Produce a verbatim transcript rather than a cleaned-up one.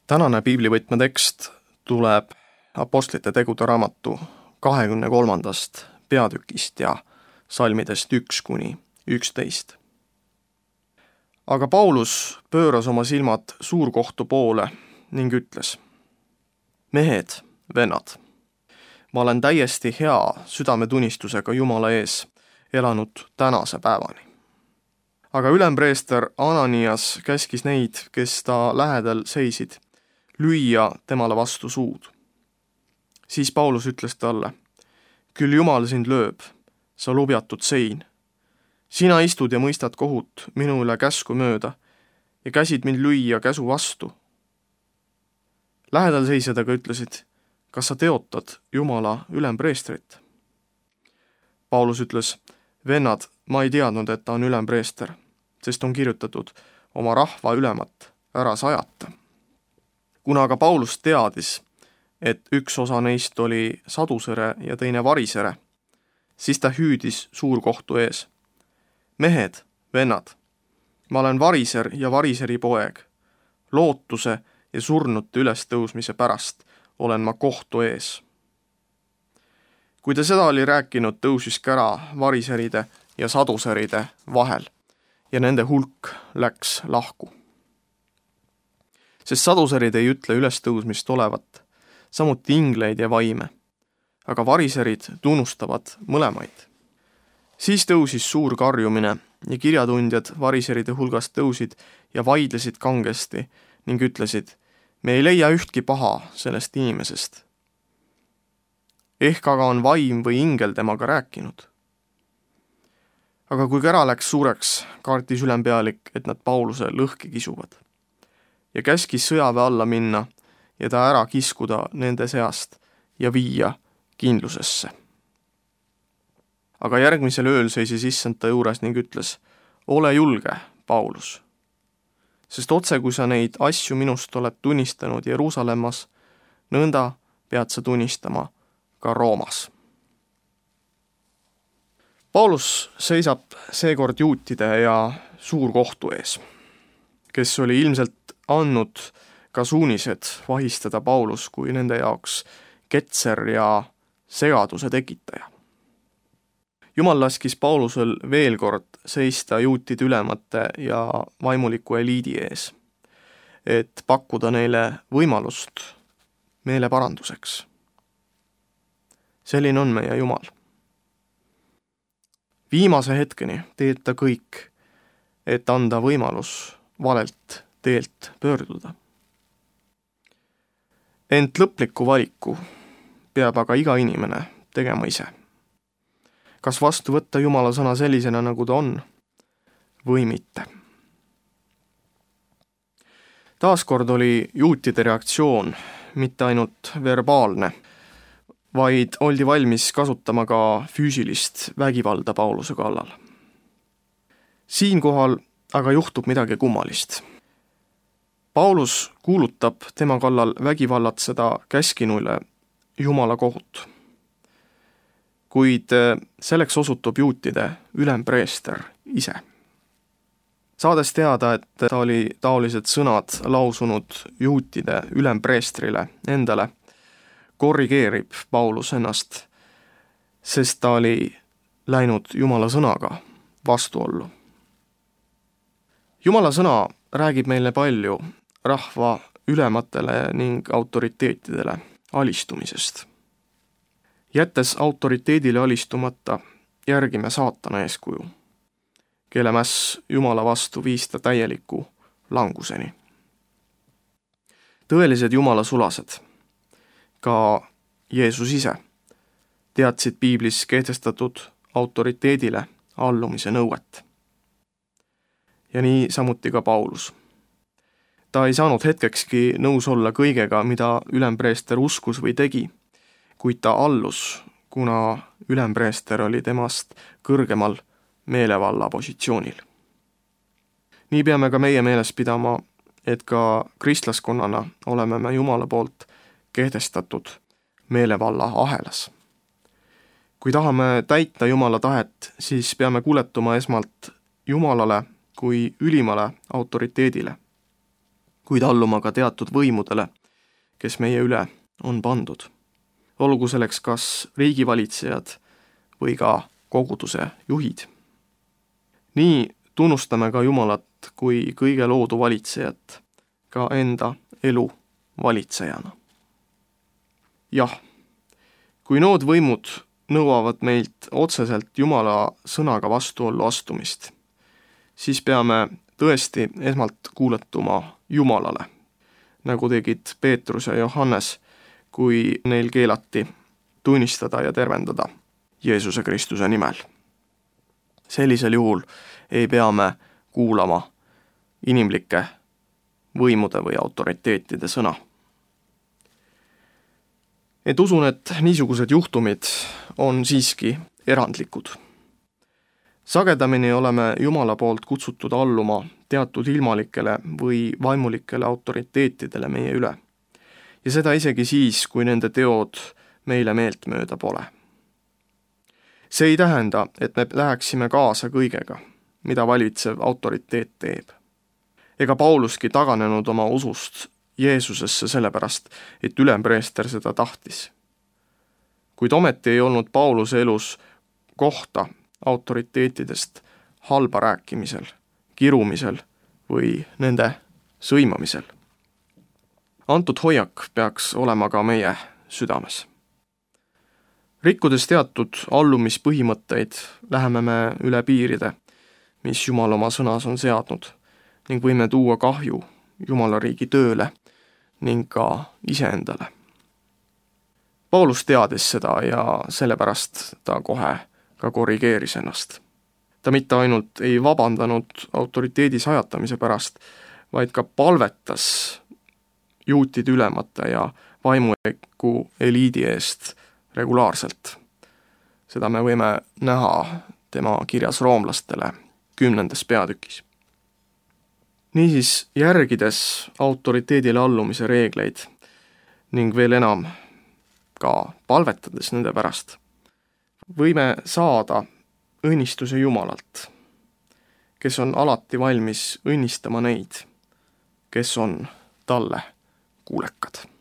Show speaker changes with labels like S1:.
S1: Tänane piiblivõtme tekst tuleb Apostlite tegude raamatu kahekümne kolmandast peatükist ja salmidest üks kuni üksteist. Aga Paulus pööras oma silmad suurkohtu poole ning ütles: mehed, vennad, ma olen täiesti hea südametunnistusega Jumala ees elanud tänase päevani. Aga ülempreester Ananias käskis neid, kes ta lähedal seisid, lüüa temale vastu suud. Siis Paulus ütles talle: küll Jumal sind lööb, sa lubjatud sein. Sina istud ja mõistad kohut minu üle käsku mööda ja käsid mind lüüa käsu vastu. Lähedal seisjad aga ütlesid: kas sa teotad Jumala ülempreestrit? Paulus ütles: vennad, ma ei teadnud, et ta on ülempreester, sest on kirjutatud oma rahva ülemat ära sajata. Kuna aga Paulus teadis, et üks osa neist oli sadusere ja teine varisere, siis ta hüüdis suurkohtu ees: mehed, vennad, ma olen variser ja variseri poeg. Lootuse ja surnute ülestõusmise pärast olen ma kohtu ees. Kui ta seda oli rääkinud, tõusis kära variseride ja saduseride vahel ja nende hulk läks lahku. Sest saduserid ei ütle ülestõusmist olevat, samuti ingleid ja vaime, aga variserid tunnustavad mõlemaid. Siis tõusis suur karjumine ja kirjatundjad variseride hulgast tõusid ja vaidlesid kangesti ning ütlesid: me ei leia ühtki paha sellest inimesest. Ehk aga on vaim või ingel temaga rääkinud. Aga kui kära läks suureks, kartis ülempealik, et nad Pauluse lõhki kisuvad ja käskis sõjaväe alla minna ja ta ära kiskuda nende seast ja viia kindlusesse. Aga järgmisel ööl seisis issand ta juures ning ütles: ole julge, Paulus, sest otse kui sa neid asju minust oled tunnistanud Jeruusalemmas, nõnda pead sa tunnistama ka Roomas. Paulus seisab seekord juutide ja suurkohtu ees, kes oli ilmselt andnud ka suunised vahistada Paulus kui nende jaoks ketser ja segaduse tekitaja. Jumal laskis Paulusel veel kord seista juutide ülemate ja vaimuliku eliidi ees, et pakkuda neile võimalust meeleparanduseks. Selline on meie Jumal. Viimase hetkeni teed ta kõik, et anda võimalus valelt teelt pöörduda. Ent lõpliku valiku peab aga iga inimene tegema ise. Kas vastu võtta Jumala sõna sellisena, nagu ta on, või mitte. Taaskord oli juutide reaktsioon mitte ainult verbaalne, vaid oldi valmis kasutama ka füüsilist vägivalda Pauluse kallal. Siinkohal aga juhtub midagi kummalist. Paulus kuulutab tema kallal vägivallatseda käskinuile Jumala kohut. Kuid selleks osutub juutide ülempreester ise. Saades teada, et ta oli taolised sõnad lausunud juutide ülempreestrile endale, korrigeerib Paulus ennast, sest ta oli läinud Jumala sõnaga vastuollu. Jumala sõna räägib meile palju rahva ülematele ning autoriteetidele alistumisest. Jättes autoriteedile alistumata, järgime saatana eeskuju, kelle mäss Jumala vastu viis ta täieliku languseni. Tõelised Jumala sulased, ka Jeesus ise, teadsid piiblis kehtestatud autoriteedile allumise nõuet. Ja nii samuti ka Paulus. Ta ei saanud hetkekski nõus olla kõigega, mida ülempreester uskus või tegi, kuid ta allus, kuna ülempreester oli temast kõrgemal meelevalla positsioonil. Nii peame ka meie meeles pidama, et ka kristlaskonnana oleme me Jumala poolt kehtestatud meelevalla ahelas. Kui tahame täita Jumala tahet, siis peame kuuletuma esmalt Jumalale kui ülimale autoriteedile. kuid alluma ka teatud võimudele, kes meie üle on pandud. Olgu selleks kas riigivalitsejad või ka koguduse juhid. Nii tunnustame ka Jumalat kui kõige loodu valitsejat, ka enda elu valitsejana. Jah, kui nood võimud nõuavad meilt otseselt Jumala sõnaga vastuollu astumist, siis peame tõesti esmalt kuuletuma Jumalale, nagu tegid Peetrus ja Johannes, kui neil keelati tunnistada ja tervendada Jeesuse Kristuse nimel. Sellisel juhul ei pea me kuulama inimlike võimude või autoriteetide sõna. Et usun, et niisugused juhtumid on siiski erandlikud. Sagedamini oleme Jumala poolt kutsutud alluma teatud ilmalikele või vaimulikele autoriteetidele meie üle. Ja seda isegi siis, kui nende teod meile meeltmööda pole. See ei tähenda, et me läheksime kaasa kõigega, mida valitsev autoriteet teeb. Ega Pauluski taganenud oma usust Jeesusesse sellepärast, et ülempreester seda tahtis. Kuid ometi ei olnud Pauluse elus kohta autoriteetidest halba rääkimisel, kirumisel või nende sõimamisel. Antud hoiak peaks olema ka meie südames. Rikkudes teatud allumispõhimõtteid läheme me üle piiride, mis Jumal oma sõnas on seadnud, ning võime tuua kahju Jumala riigi tööle ning ka iseendale. Paulus teadis seda ja sellepärast ta kohe ka korrigeeris ennast. Ta mitte ainult ei vabandanud autoriteedi sajatamise pärast, vaid ka palvetas juutide ülemate ja vaimuliku eliidi eest regulaarselt. Seda me võime näha tema kirjas roomlastele kümnendas peatükis. Niisiis, järgides autoriteedile allumise reegleid ning veel enam ka palvetades nende pärast, võime saada õnnistuse Jumalalt, kes on alati valmis õnnistama neid, kes on talle kuulekad.